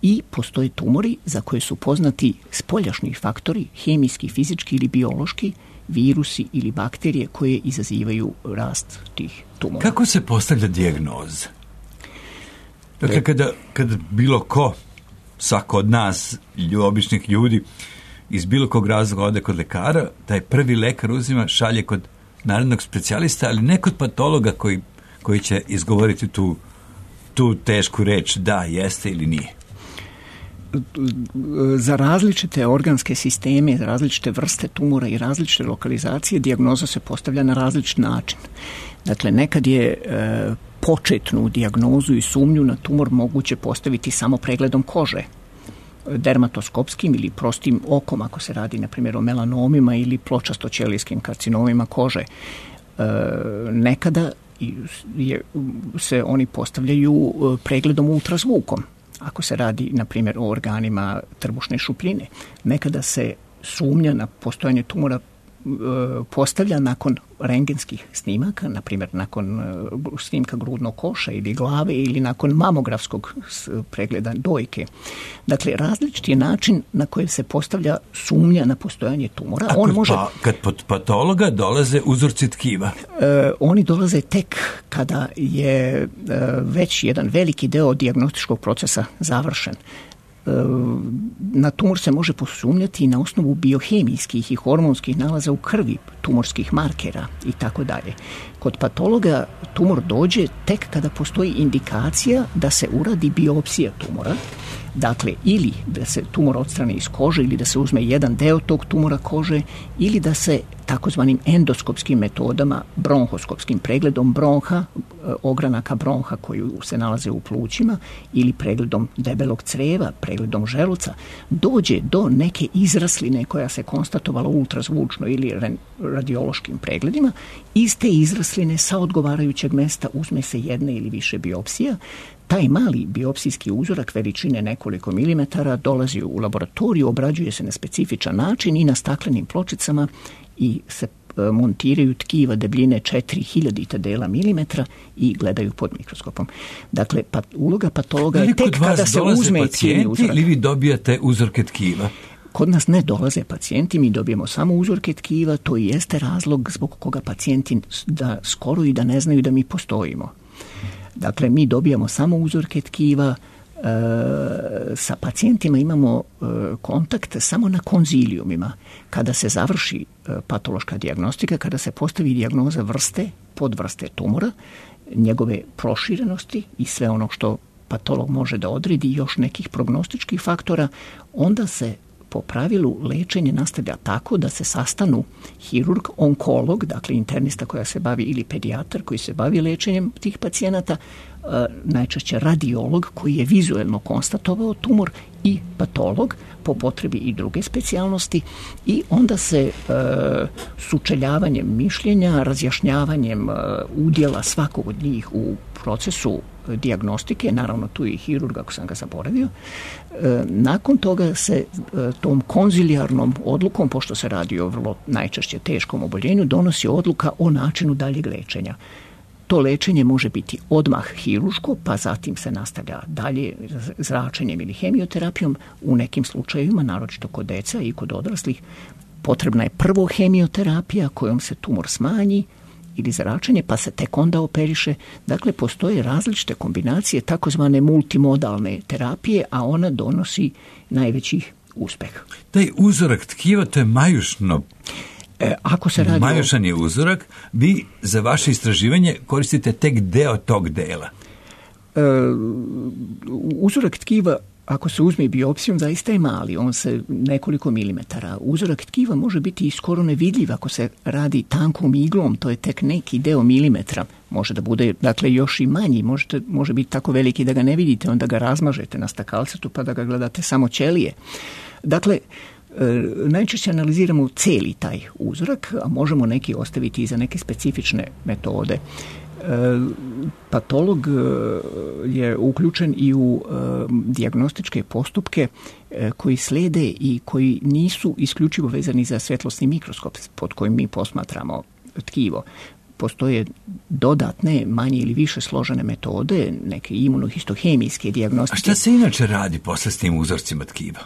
i postoje tumori za koje su poznati spoljašnji faktori, hemijski, fizički ili biološki, virusi ili bakterije koje izazivaju rast tih tumora. Kako se postavlja dijagnoza? Dakle, kada bilo ko, svako od nas, običnih ljudi, iz bilo kog razloga ode kod lekara, taj prvi lekar uzima, šalje kod narodnog specijalista, ali ne kod patologa koji će izgovoriti tu tešku reč, da, jeste ili nije. Za različite organske sisteme, za različite vrste tumora i različite lokalizacije dijagnoza se postavlja na različit način. Dakle, nekad je početnu dijagnozu i sumnju na tumor moguće postaviti samo pregledom kože. dermatoskopskim ili prostim okom, ako se radi na primjer o melanomima ili pločasto-ćelijskim karcinomima kože. Nekada se oni postavljaju pregledom ultrazvukom, ako se radi na primjer o organima trbušne šupljine. Nekada se sumnja na postojanje tumora postavlja nakon rentgenskih snimaka, na primjer nakon snimka grudnog koša ili glave ili nakon mamografskog pregleda dojke. Dakle, različiti je način na koji se postavlja sumnja na postojanje tumora. Kad pod patologa dolaze uzorci tkiva? Oni dolaze tek kada je već jedan veliki deo dijagnostičkog procesa završen. Na tumor se može posumnjati na osnovu biohemijskih i hormonskih nalaza u krvi, tumorskih markera i tako dalje. Kod patologa tumor dođe tek kada postoji indikacija da se uradi biopsija tumora, dakle ili da se tumor odstrani iz kože ili da se uzme jedan deo tog tumora kože ili da se takozvanim endoskopskim metodama, bronhoskopskim pregledom bronha, ogranaka bronha koji se nalaze u plućima ili pregledom debelog creva, pregledom želuca, dođe do neke izrasline koja se konstatovala ultrazvučno ili radiološkim pregledima. Iz te izrasline sa odgovarajućeg mesta uzme se jedna ili više biopsija. Taj mali biopsijski uzorak veličine nekoliko milimetara dolazi u laboratoriju, obrađuje se na specifičan način i na staklenim pločicama i se montiraju tkiva debljine 4000 dela milimetra i gledaju pod mikroskopom. Dakle, uloga patologa je tek kada se uzme cijeli uzorak. Ili vi dobijate uzorke tkiva? Kod nas ne dolaze pacijenti, mi dobijemo samo uzorke tkiva, to i jeste razlog zbog koga pacijenti da skoro i da ne znaju da mi postojimo. Dakle, mi dobijamo samo uzorke tkiva, sa pacijentima imamo kontakt samo na konzilijumima. Kada se završi patološka dijagnostika, kada se postavi dijagnoza vrste, podvrste tumora, njegove proširenosti i sve ono što patolog može da odredi, još nekih prognostičkih faktora, onda se po pravilu lečenje nastavlja tako da se sastanu hirurg, onkolog, dakle internista koja se bavi ili pedijatar koji se bavi lečenjem tih pacijenata, najčešće radiolog koji je vizuelno konstatovao tumor i patolog, po potrebi i druge specijalnosti, i onda se sučeljavanjem mišljenja, razjašnjavanjem udjela svakog od njih u procesu dijagnostike, naravno tu je i hirurg ako sam ga zaboravio, nakon toga se tom konzilijarnom odlukom, pošto se radi o vrlo najčešće teškom oboljenju, donosi odluka o načinu daljeg lečenja. To lečenje može biti odmah hiruško, pa zatim se nastavlja dalje zračenjem ili hemioterapijom. U nekim slučajevima, naročito kod deca i kod odraslih, potrebna je prvo hemioterapija kojom se tumor smanji ili zračenje, pa se tek onda operiše. Dakle, postoje različite kombinacije takozvane multimodalne terapije, a ona donosi najveći uspeh. Taj uzorak tkiva, to je majušno. Ako se radi majušan je uzorak, vi za vaše istraživanje koristite tek deo tog dela. Uzorak tkiva, ako se uzme biopsijom, zaista je mali, on se nekoliko milimetara. Uzorak tkiva može biti i skoro nevidljiv ako se radi tankom iglom, to je tek neki deo milimetra. Može da bude, dakle, još i manji, može biti tako veliki da ga ne vidite, onda ga razmažete na stakalcetu pa da ga gledate samo ćelije. Dakle, najčešće analiziramo cijeli taj uzorak, a možemo neki ostaviti i za neke specifične metode. Patolog je uključen i u dijagnostičke postupke koji slede i koji nisu isključivo vezani za svjetlosni mikroskop pod kojim mi posmatramo tkivo. Postoje dodatne, manje ili više složene metode, neke imunohistohemijske dijagnostike. A šta se inače radi posle s tim uzorcima tkiva?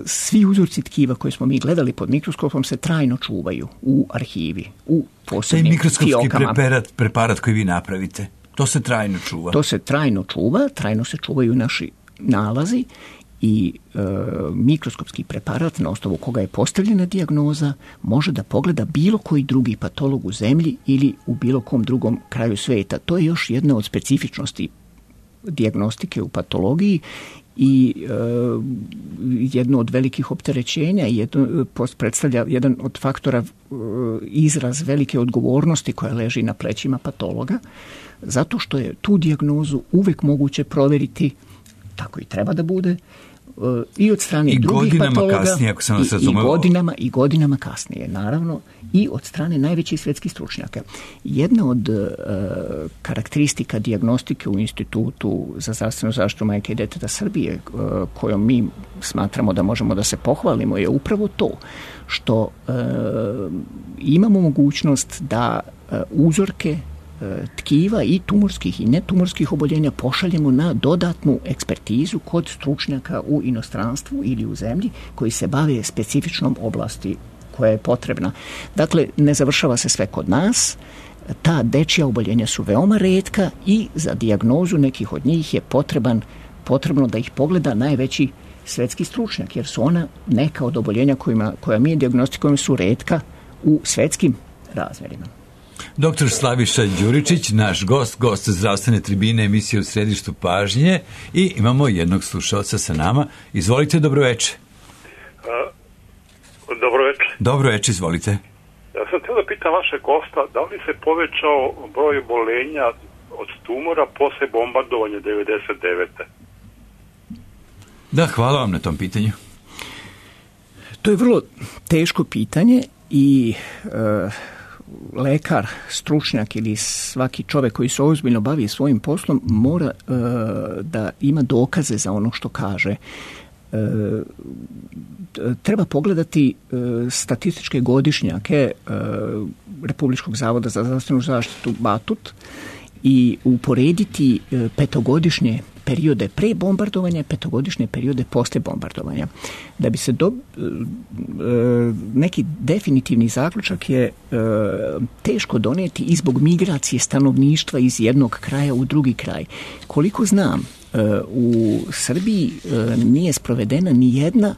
Svi uzorci tkiva koje smo mi gledali pod mikroskopom se trajno čuvaju u arhivi, u posebnim mikroskopski fiokama. preparat koji vi napravite, to se trajno čuva? To se trajno čuva, trajno se čuvaju naši nalazi i mikroskopski preparat na osnovu koga je postavljena dijagnoza može da pogleda bilo koji drugi patolog u zemlji ili u bilo kom drugom kraju svijeta. To je još jedna od specifičnosti dijagnostike u patologiji i jedno od velikih opterećenja i predstavlja jedan od faktora izraz velike odgovornosti koja leži na plećima patologa, zato što je tu dijagnozu uvek moguće provjeriti, tako i treba da bude, i od strane drugih patologa kasnije, ako sam vas i godinama kasnije, naravno, i od strane najvećih svjetskih stručnjaka. Jedna od karakteristika dijagnostike u Institutu za zdravstvenu zaštitu majke i djeteta Srbije, kojom mi smatramo da možemo da se pohvalimo, je upravo to što imamo mogućnost da uzorke tkiva i tumorskih i netumorskih oboljenja pošaljemo na dodatnu ekspertizu kod stručnjaka u inostranstvu ili u zemlji koji se bave specifičnom oblasti koja je potrebna. Dakle, ne završava se sve kod nas, ta dečja oboljenja su veoma retka i za dijagnozu nekih od njih je potrebno da ih pogleda najveći svetski stručnjak, jer su ona neka od oboljenja koja mi dijagnostikujemo su retka u svetskim razmjerima. Dr. Slaviša Đuričić, naš gost zdravstvene tribine emisije U središtu pažnje, i imamo jednog slušalca sa nama. Izvolite, dobroveče. Dobroveče, izvolite. Ja sam htio da pitam vašeg gosta, da li se povećao broj oboljenja od tumora posle bombardovanja 99. Da, hvala vam na tom pitanju. To je vrlo teško pitanje i lekar, stručnjak ili svaki čovjek koji se ozbiljno bavi svojim poslom mora da ima dokaze za ono što kaže. Treba pogledati statističke godišnjake Republičkog zavoda za zdravstvenu zaštitu Batut i uporediti petogodišnje periode pre bombardovanja i petogodišnje periode posle bombardovanja. Da bi se neki definitivni zaključak je teško donijeti i zbog migracije stanovništva iz jednog kraja u drugi kraj. Koliko znam, u Srbiji nije sprovedena ni jedna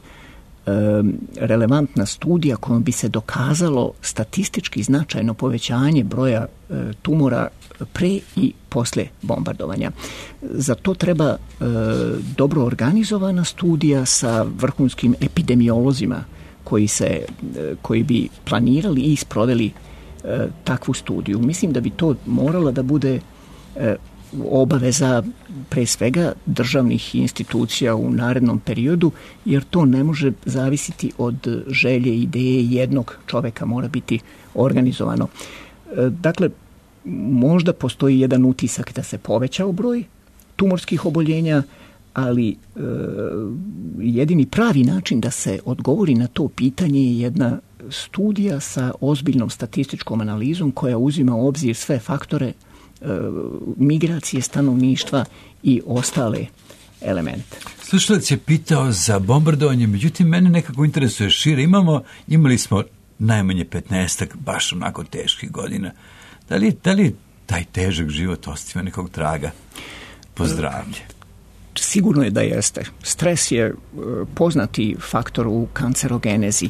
relevantna studija kojom bi se dokazalo statistički značajno povećanje broja tumora pre i posle bombardovanja. Za to treba dobro organizovana studija sa vrhunskim epidemiolozima koji bi planirali i sproveli takvu studiju. Mislim da bi to morala da bude obaveza pre svega državnih institucija u narednom periodu, jer to ne može zavisiti od želje, ideje jednog čoveka, mora biti organizovano. Dakle, možda postoji jedan utisak da se povećao broj tumorskih oboljenja, ali jedini pravi način da se odgovori na to pitanje je jedna studija sa ozbiljnom statističkom analizom koja uzima u obzir sve faktore migracije stanovništva i ostale elemente. Slušalac je pitao za bombardovanje, međutim mene nekako interesuje šire. Imali smo najmanje 15 baš onako teških godina. Da li taj težak život ostavio nekog traga po zdravlje? Sigurno je da jeste. Stres je poznati faktor u kancerogenezi.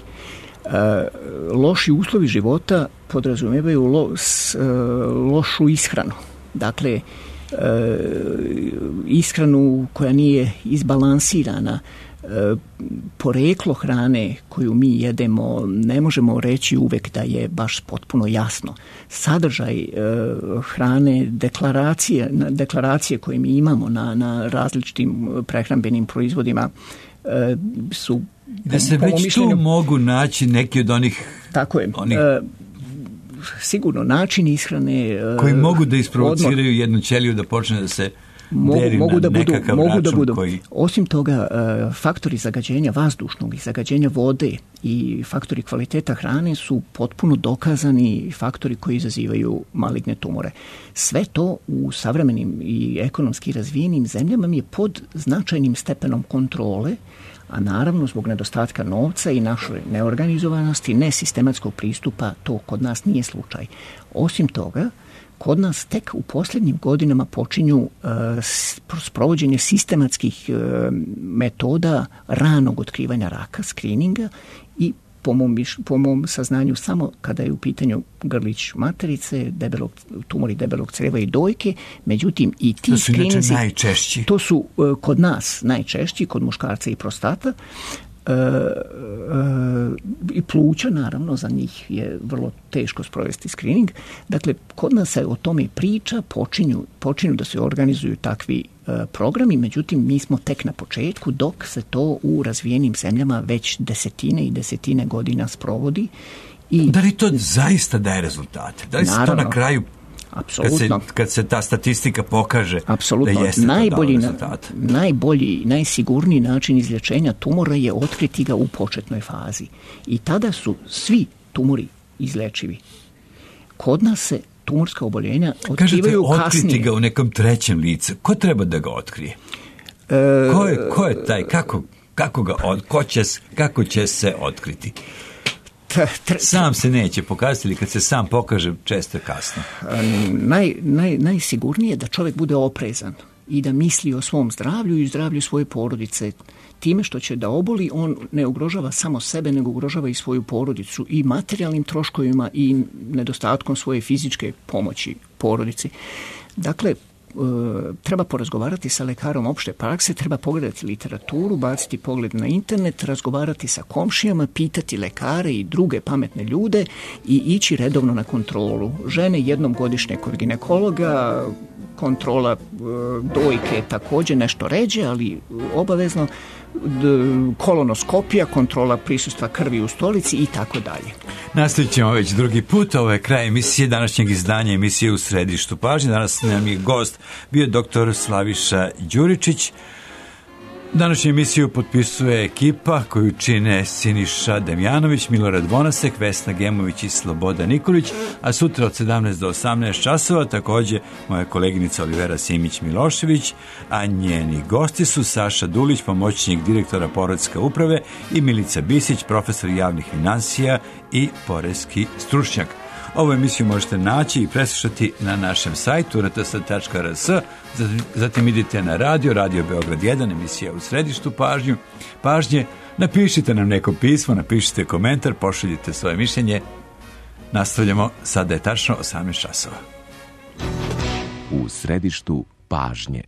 Loši uslovi života podrazumijevaju lošu ishranu. Dakle, ishranu koja nije izbalansirana, poreklo hrane koju mi jedemo ne možemo reći uvek da je baš potpuno jasno. Sadržaj hrane, deklaracije koje mi imamo na različitim prehrambenim proizvodima su da se već tu mogu naći neki od onih... Tako je. Sigurno način ishrane... koji mogu da isprovociraju jednu ćeliju da počne da se deri na nekakav račun koji... Osim toga, faktori zagađenja vazdušnog i zagađenja vode i faktori kvaliteta hrane su potpuno dokazani faktori koji izazivaju maligne tumore. Sve to u savremenim i ekonomski razvijenim zemljama je pod značajnim stepenom kontrole, a naravno zbog nedostatka novca i naše neorganizovanosti, nesistematskog pristupa, to kod nas nije slučaj. Osim toga, kod nas tek u posljednjim godinama počinju sprovođenje sistematskih metoda ranog otkrivanja raka, screeninga, i po mom saznanju samo kada je u pitanju grlić materice, tumori debelog creva i dojke, međutim i ti screeninzi... To su najčešći. To su kod nas najčešći, kod muškarca i prostata. I pluća, naravno, za njih je vrlo teško sprovesti screening. Dakle, kod nas se o tome priča, počinju da se organizuju takvi programi, međutim mi smo tek na početku, dok se to u razvijenim zemljama već desetine i desetine godina sprovodi. I da li to zaista daje rezultate? Da li se to na kraju, kad se ta statistika pokaže, apsolutno, da jeste to dalo rezultate? Najbolji, najsigurniji način izlječenja tumora je otkriti ga u početnoj fazi. I tada su svi tumori izlečivi. Kod nas se tumorska oboljenja otkrivaju kasnije. Kažete, otkriti ga u nekom trećem licu. Ko treba da ga otkrije? Ko je taj? Kako će se otkriti? Sam se neće pokazati, ili kad se sam pokaže, često je kasno. Najsigurnije je da čovjek bude oprezan i da misli o svom zdravlju i zdravlju svoje porodice. Time što će da oboli, on ne ugrožava samo sebe, nego ugrožava i svoju porodicu i materijalnim troškovima i nedostatkom svoje fizičke pomoći porodici. Dakle, treba porazgovarati sa lekarom opšte prakse, treba pogledati literaturu, baciti pogled na internet, razgovarati sa komšijama, pitati lekare i druge pametne ljude i ići redovno na kontrolu. Žene jednom godišnje kod ginekologa, kontrola dojke također nešto ređe, ali obavezno, kolonoskopija, kontrola prisustva krvi u stolici i tako dalje. Nastavit ćemo već drugi put. Ovo je kraj emisije, današnjeg izdanja emisije U središtu pažnje. Danas nam je gost bio dr. Slaviša Đuričić. Današnju emisiju potpisuje ekipa koju čine Siniša Demjanović, Milorad Vonasek, Vesna Gemović i Slobodan Nikolić, a sutra od 17 do 18 časova također moja koleginica Olivera Simić-Milošević, a njeni gosti su Saša Dulić, pomoćnik direktora Poreske uprave, i Milica Bisić, profesor javnih finansija i poreski stručnjak. Ovu emisiju možete naći i preslušati na našem sajtu rts.rs, zatim idite na Radio Beograd 1, emisija U središtu pažnje. Napišite nam neko pismo, napišite komentar, pošaljite svoje mišljenje. Nastavljamo, sada je tačno 18 časova. U središtu pažnje.